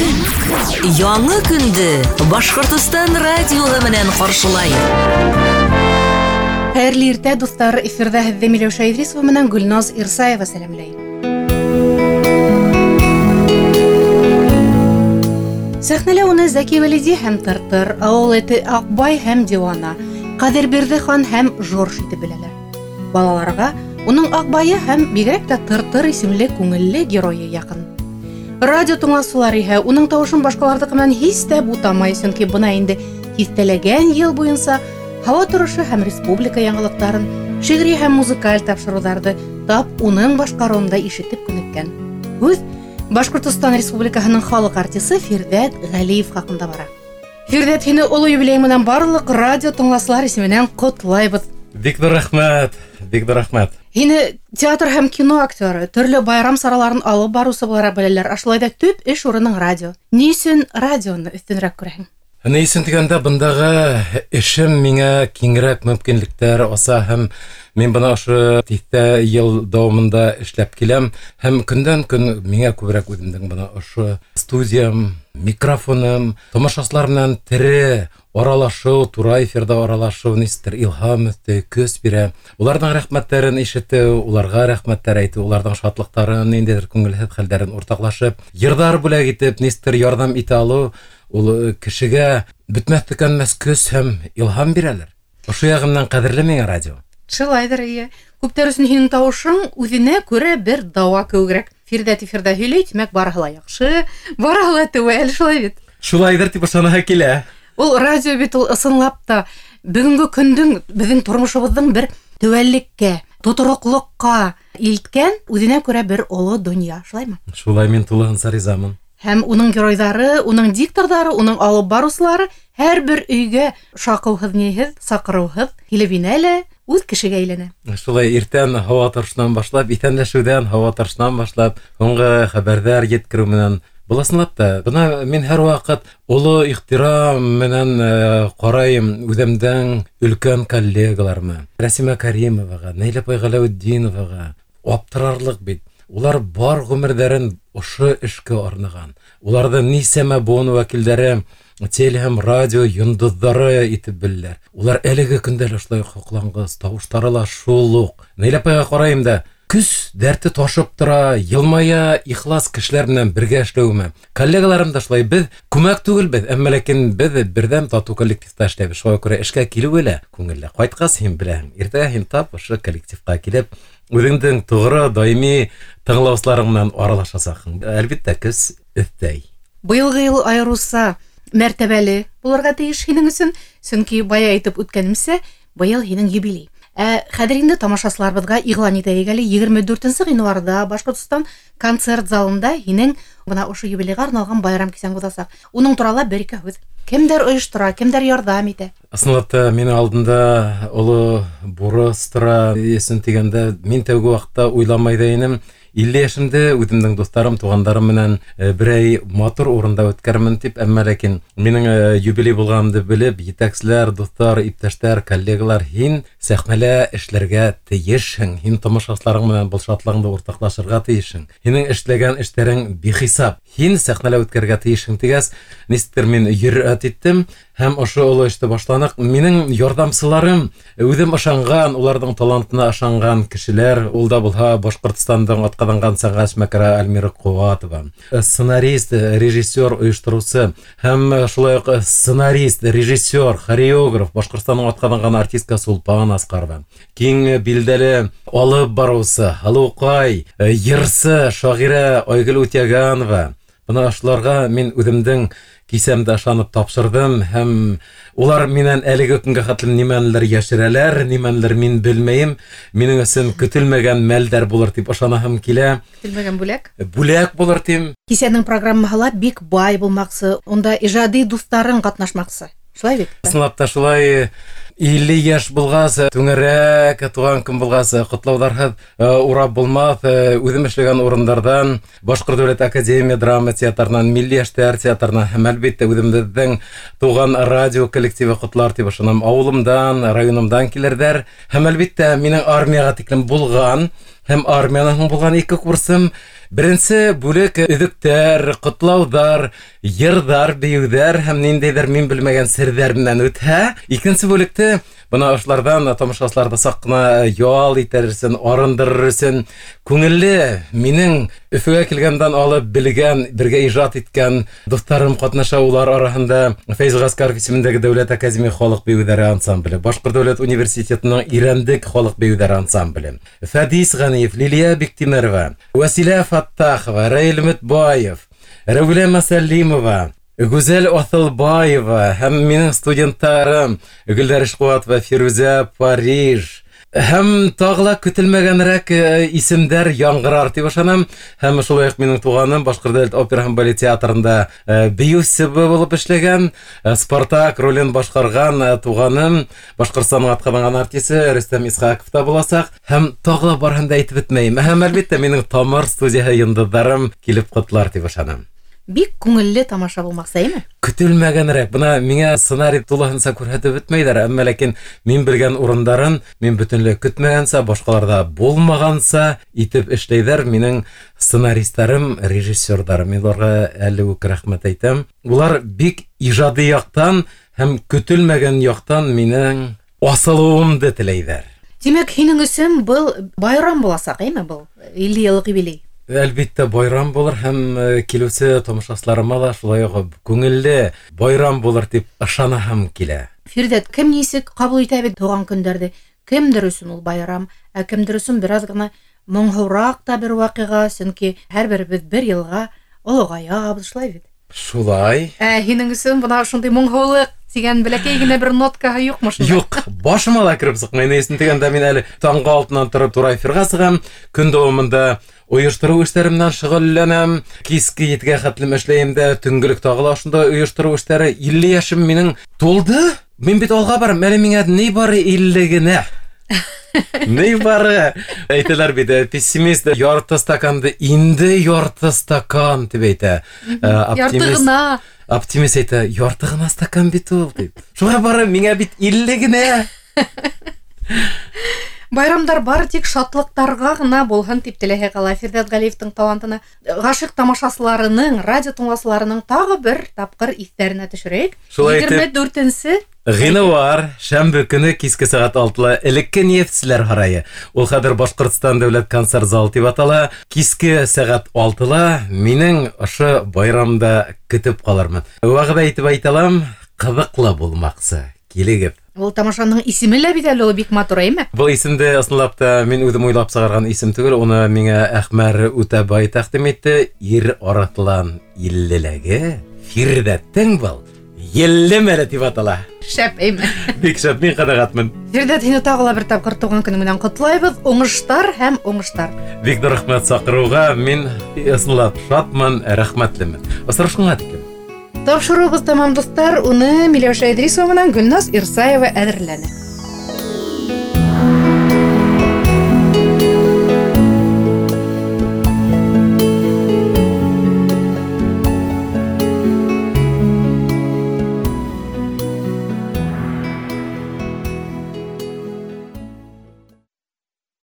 Көн. Яңы көндө Башҡортостан радиоһы менән ҡаршылай. Хәйерле иртә, дуҫтар! Эфирҙа һеҙҙе Миләүшә Идрисова менән Гөлназ Ирсаева сәләмләй. Сәхнәлә уны Зәки Вәлиди һәм Тыртыр, ауыл эте Аҡбай һәм Диуана, Ҡәҙербирҙе хан һәм Жорж итеп беләләр. Балаларға уның Аҡбайы һәм бигерәк тә Тыртыр исемле күңелле геройы яҡын. Радио тыңлаусылар иһә уның тауышын башҡаларҙыҡы менән һис тә бутамай, сөнки бына инде тиҫтәләгән йыл буйынса һауа торошо һәм республика яңылыҡтарын, шиғри һәм музыкаль тапшырыуҙарҙы тап уның башҡарыуында ишетеп күнеккән. Һүҙ Башҡортостан Республикаһының халыҡ артисы Фирҙәт Ғәлиев хаҡында бара. Фирҙәт, һине оло юбилей менән барлыҡ радио тыңлаусылар исеменән ҡотлайбыҙ. Бик ҙур рәхмәт, бик ҙур рәхмәт. Һине театр һәм кино актеры, төрлө байрам сараларын алып барыусы булараҡ беләләр. Ә шулай ҙа төп эш урының радио. Ни өсөн радионы өҫтөнөрәк күрәһең? Ни өсөн тигәндә, бындағы эшем миңә киңерәк мөмкинлектәр аса һәм мин бына ошо тиҫтә йыл дауамында эшләп киләм һәм көндән көн миңә күберәк үҙемдең бына ошо студиям, микрофоным, тамашасылар менән тере аралашыу, тура эфирҙа аралашыу нисектер илһам өҫтәй, көс бирә. Уларҙың рәхмәттәрен ишетеү, уларға рәхмәттәр әйтеү, уларҙың шатлыҡтарын, ниндәйҙер күңелһеҙ хәлдәрен уртаҡлашып, йырҙар бүләк итеп, нисектер ярҙам итә алыу, ул кешегә бөтмәҫ төкәнмәҫ көс һәм илһам бирәлер. Ошо яғы менән ҡәҙерле миңә радио. Шулайҙыр, эйе. Күптәр өсөн һинең тауышың үҙенә күрә бер дауа кеүегерәк. Фирҙәт эфирҙа һөйләй, тимәк, барыһы ла яҡшы, барыһы ла теүәл, шулай бит? Шулайҙыр тип ышанаһы килә. Ул радио бит ул ысынлап та бөгөнгө көндөң, беҙҙең тормошобоҙҙоң бер теүәллеккә, тотороҡлоҡҡа илткән үҙенә күрә бер оло донъя, шулаймы? Шулай, мин тулыһынса ризамын. Һәм уның геройҙары, уның дикторҙары, уның алып барыусылары һәр бер өйгә шаҡыуһыҙ, ниһеҙ, саҡырыуһыҙ килеп инә лә үҙ кешегә әйләнә. Шулай иртән һауа торошонан башлап, иҫәнләшеүҙән һауа торошонан башлап, һуңғы хәбәрҙәр еткереү менән. Был ысынлап та, бына мин һәр ваҡыт оло ихтирам менән ҡарайым үҙемдең өлкән коллегаларыма. Рәсимә Каримоваға, Нәйлә апай Ғәләүетдиноваға аптырарлыҡ бит. Улар бар ғүмерҙәрен ошо эшкә арнаған. Уларҙы нисәмә быуын вәкилдәре теле һәм радио йондоҙҙары итеп беләләр. Улар әлеге көндә лә шулай һоҡланғыс, тауыштары ла шул уҡ. Нәйлә апайға ҡарайым да, көс дәрте ташып тора, йылмая, ихлас кешеләр менән бергә эшләүемә. Коллегаларым да шулай, беҙ күмәк түгелбеҙ, әммә ләкин беҙ берҙәм татыу коллективта эшләйбеҙ. Шуға күрә эшкә килеүе лә күңелле. Ҡайтҡас һин беләһең, иртәгә һин тап ошо коллективҡа килеп, үҙеңдең тоғро, даими тыңлаусыларың менән аралашасаҡһың. Әлбиттә, көс өҫтәй. Быйылғы йыл айырыуса мәртәбәле булырға тейеш һинең өсөн, сөнки бая әйтеп үткәнемсә, быйыл һинең юбилей. Ә хәҙер инде тамашасыларыбыҙға иғлан итәйек әле, 24 ғинуарҙа Башҡортостан концерт залында һинең бына ошо юбилейға арналған байрам кисәң уҙасаҡ. Уның турала бер-ике һүҙ. Кемдәр ойоштора, кемдәр ярҙам итә? Ысынлап та, минең алдында оло бурыс тора. Өсөн тигәндә, мин тәүге ваҡытта уйламай ҙа инем. 50 йәшемдә үҙемдең дуҫтарым, туғандарым менән берәй матур урында үткәрмен тип, әммә ләкин минең юбилей булғанымды белеп, етәкселәр, дуҫтар, иптәштәр, коллегалар, һин сәхнәлә эшләргә тейешһең, һин тамашасыларың менән был шатлығыңды уртаҡлашырға тейешһең, һинең эшләгән эштәрең бихисап, һин сәхнәлә үткәрергә тейешһең тигәс, нисектер мин йөрьәт иттем һәм ошо оло эште башланыҡ. Минең ярҙамсыларым, үҙем ышанған, уларҙың талантына ышанған кешеләр, ул да булһа Башҡортостандың атҡаҙанған сәнғәт эшмәкәре Альмира Ҡыуатова, сценарист, режиссер, ойоштороусы һәм шулай уҡ сценарист, режиссер, хореограф, Башҡортостандың атҡаҙанған артистка Сулпан Асҡарова, киң билдәле алып барыусы, һылыуҡай, йырсы, шағирә Айгөл Үтәгәнова. Бына ошоларға мин үҙемдең кисәмде ышанып тапшырҙым һәм улар минән әлеге көнгә хәтлем нимәнелер йәшерәләр, нимәнелер мин белмәйем. Минең өсөн көтөлмәгән мәлдәр булыр тип ышанаһым килә. Көтөлмәгән бүләк? Бүләк булыр тим. Кисәнең программаһы ла бик бай булмаҡсы, унда ижади дуҫтарың ҡатнашмаҡсы. Шулай бит? Ысынлап та шулай. 50 йәш булғас, түңәрәк туған көн булғас, ҡотлауҙарһыҙ урап булмаҫ. Үҙем эшләгән урындарҙан, Башҡорт дәүләт академия драма театрынан, Милли йәштәр театрынан һәм әлбиттә үҙемдең туған радио коллективы ҡотлар тип ышанам. Ауылымдан, районымдан килерҙәр. Һәм әлбиттә минең армияға тиклем булған һәм армиянан һуң булған ике курсым Беренсе бүлек өҙөктәр, ҡотлауҙар, йырҙар, бейеүҙәр һәм ниндәйҙер мин белмәгән серҙәр менән үтһә, икенсе бүлекте бына ошоларҙан тамашасыларҙы саҡ ҡына ял итер өсөн, арындырыр өсөн күңелле минең Өфөгә килгәндән алып белгән, бергә ижад иткән дуҫтарым ҡатнаша. Улар араһында Фәйз Ғәскәров исемендәге Дәүләт академия халыҡ бейеүҙәре ансамбле, Башҡорт дәүләт университетының Ирәндек халыҡ бейеүҙәре ансамбле, Фәдис Ғәниев, Лилиә Биктимерова, Вәсилә Фаттахова, Раил Мөтбаев, Рәүлә Мәсәлимова, Гүзәл Аҫылбаева һәм минең студенттарым Гөлдәр Ишҡыуатова, Фирүзә Париж һәм тағы ла көтөлмәгәнерәк исемдәр яңғырар тип ышанам. Һәм шулай уҡ минең туғаным Башҡорт дәүләт опера һәм балет театрында бейеүсе булып эшләгән, Спартак ролен башҡарған туғаным Башҡортостандың атҡаҙанған артисы Рөстәм Исхаҡов та буласаҡ. Һәм тағы ла барыһын да әйтеп бөтмәйем. Һәм әлбиттә минең Тамыр студияһы йондоҙҙарым килеп ҡотлар тип ышанам. Бик күңелле тамаша булмаҡсы, әйме? Көтөлмәгәнерәк. Бына миңә сценарий тулыһынса күрһәтеп бөтмәйҙәр, әммә ләкин мин белгән урындарын мин бөтөнләй көтмәгәнсә, башҡаларҙа булмағанса итеп эшләйҙәр минең сценаристарым, режиссерҙарым. Мин уларға әле үк рәхмәт әйтәм. Улар бик ижади яҡтан һәм көтөлмәгән яҡтан минең асылыуымды теләйҙәр. Тимәк, һинең өсөн был байрам буласаҡ, әйме был 50 йыллыҡ юбилей? Әлбиттә байрам булыр һәм килеүсе тамашасыларыма ла шулай уҡ күңелле байрам булыр тип ышанаһым килә. Фирҙәт, кем нисек ҡабул итә бит тыуған көндәрҙе? Кемдер өсөн ул байрам, ә кемдер өсөн бер аҙ ғына моңһоуыраҡ та бер ваҡиға, сөнки һәр беребеҙ бер йылға олоғаябыҙ, шулай бит? Шулай. Ә һинең өсөн бына шундай моңһоулыҡ тигән бәләкәй генә бер ноткаһы юҡмы шунда? Юҡ, башыма ла кереп сыҡмай. Ни өсөн тигәндә, мин әле таңғы алтынан тороп тура эфирға сығам, көн дауамында ойоштороу эштәре менән шөғөлләнәм, киске 7-гә хәтлем эшләйем дә, төнгөлөк тағы ла ошондай ойоштороу эштәре. 50 йәшем минең тулды. Мин бит алға барам, әле миңә ни бары 50 генә. Ни бары. Әйтәләр бит, пессимист ярты стаканды инде ярты стакан тип әйтә. Ярты ғына. Оптимист әйтә, ярты ғына стакан бит ул дип. Шуға бары миңә бит 50 генә. Байрамдар бары тик шатлыҡтарға ғына булһын тип теләһе ҡала. Фирҙәт Ғәлиевтең талантына ғашиҡ тамашасыларының, радио тыңлаусыларының тағы бер тапҡыр иҫтәренә төшөрәйек. Шулай итеп, 24-нсе ғинуар, шәмбе көнө киске сәғәт 6-ла элекке Нефтселәр һарайы. Ул хәҙер Башҡортостан дәүләт концерт залы тип атала. Киске сәғәт 6-ла минең ошо байрамда көтөп ҡалырмын. Вәғәҙә итеп әйтә алам, ҡыҙыҡлы булмаҡсы. Килегеҙ. Ул тамашаның исеме лә бит әле ул бик матур, әйме? Был исемде ысынлап та мин үҙем уйлап сығарған исем түгел, уны миңә Әхмәр Үтәбай тәҡдим итте. Ир арыҫлан иллеләге Фирҙәттең был елле мәле тип атала. Шәп, әйме? Бик шәп, мин ҡәнәғәтмен. Фирҙәт, һине тағы ла бер тапҡыр тыуған көнөң менән ҡотлайбыҙ. Уңыштар һәм уңыштар. Бик ҙур рәхмәт саҡырыуға. Мин ысынлап шатмын, рәхмәтлемен. Осрашҡанға тиклем. Тапшырыуыбыҙ тамам, дуҫтар. Уны Миләүшә Идрисова менән Гөлназ Ирсаева әҙерләне.